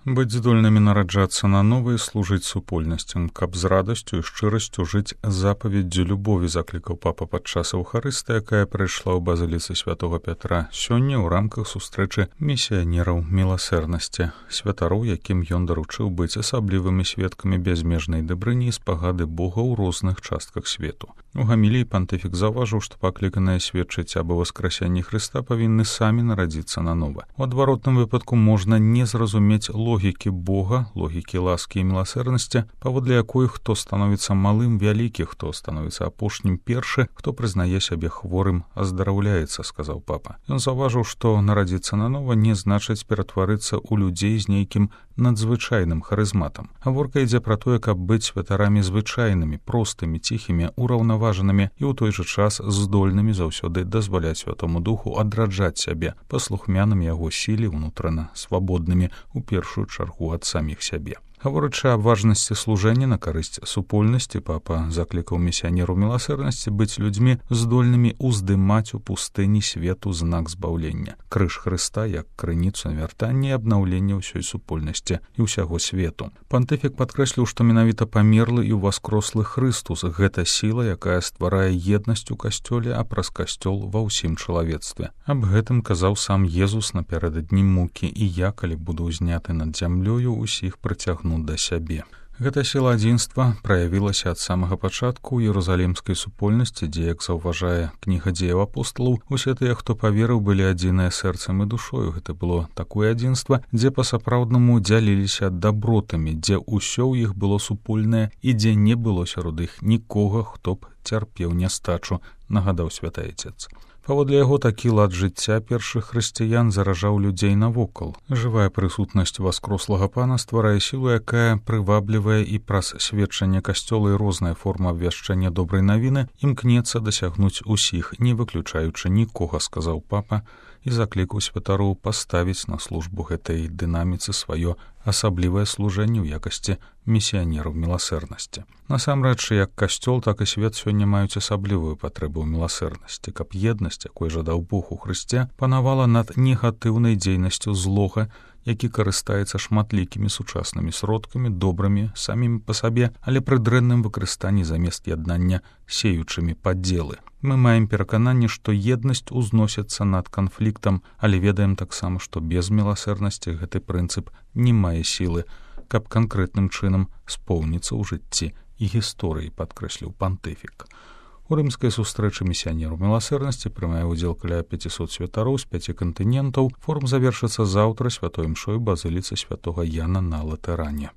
Быць здольнымі нараджацца на нова і служыць супольнасцям, каб з радасцю і шчырасцю жыць запаведдзю любові, заклікаў папа падчас аўхарысты, якая прайшла ў базыліцы святого Пятра сёння ў рамках сустрэчы місіянераў міласэрнасці, святароў, якім ён даручыў быць асаблівымі сведкамі бязмежнай дабрыні і спагады Бога ў розных частках свету. У гаміліі пантыфік заўважыў, што пакліканыя сведчыць аб васкрасянні Хрыста павінны самі нарадзіцца нанова. У адваротным выпадку можна не зразумець логікі Бога, логікі ласкі і міласэрнасці, паводле якой хто становіцца малым вялікі, хто становіцца апошнім першы, хто прызнае сябе хворым, аздараўляецца, сказаў папа. Ён заўважыў, што нарадзіцца нанова не значыць ператварыцца ў людзей з нейкім надзвычайным харызматам. Гаворка ідзе пра тое, каб быць святарамі звычайнымі, простымі, ціхімі, ураўнаважанымі і ў той жа час здольнымі заўсёды дазваляць Святому Духу адраджаць сябе, паслухмянымі яго сіле, унутрана свабоднымі, у першую чаргу ад саміх сябе. Гаворачы аб важнасці служэння на карысць супольнасці, папа заклікаў місіянеру міласэрнасці быць людзьмі здольнымі ўздымаць у пустыні свету знак збаўлення, крыж Хрыста як крыніцу навяртання і абнаўлення ўсёй супольнасці і ўсяго свету. Пантыфік падкрэсліў, што менавіта памерлы і ўваскрослы Хрыстус — гэта сіла, якая стварае еднасць у касцёле, а праз касцёл ва ўсім чалавецтве. Аб гэтым казаў сам Езус напярэдадні мукі: «І я, калі буду ўзняты над зямлёю, усіх прыцягну да сябе». Гэта сіла адзінства праявілася ад самага пачатку ў іерусалімскай супольнасці, дзе, як заўважае кніга дзеяў апосталаў, усе тыя, хто паверыў, былі адзіныя сэрцам і душою. Гэта было такое адзінства, дзе па-сапраўднаму дзяліліся дабротамі, дзе ўсё ў іх было супольнае і дзе не было сярод іх нікога, хто б цярпеў нястачу, нагадаў святы Айцец. Паводле яго, такі лад жыцця першых хрысціян заражаў людзей навокал. Жывая прысутнасць васкрослага пана стварае сілу, якая прываблівае, і праз сведчанне касцёла і розная форма абвяшчання добрай навіны імкнецца дасягнуць усіх, не выключаючы нікога, сказаў папа, і заклікаў святароў паставіць на службу гэтай дынаміцы сваё асаблівае служэнне ў якасці місіянераў міласэрнасці. Насамрэч, як касцёл, так і свет сёння маюць асаблівую патрэбу ў міласэрнасці, каб еднасць, якой жадаў Бог у Хрысце, панавала над негатыўнай дзейнасцю злога, які карыстаецца шматлікімі сучаснымі сродкамі, добрымі самімі па сабе, але пры дрэнным выкарыстанні замест яднання сеючымі падзелы. Мы маем перакананне, што еднасць узносіцца над канфліктам, але ведаем таксама, што без міласэрнасці гэты прынцып не мае сілы, каб канкрэтным чынам споўніцца ў жыцці і гісторыі, падкрэсліў пантыфік. У рымскай сустрэчы місіянераў міласэрнасці прымае ўдзел каля 500 святароў з 5 кантынентаў. Форум завершыцца заўтра святой імшой базыліцы святога Яна на Латэране.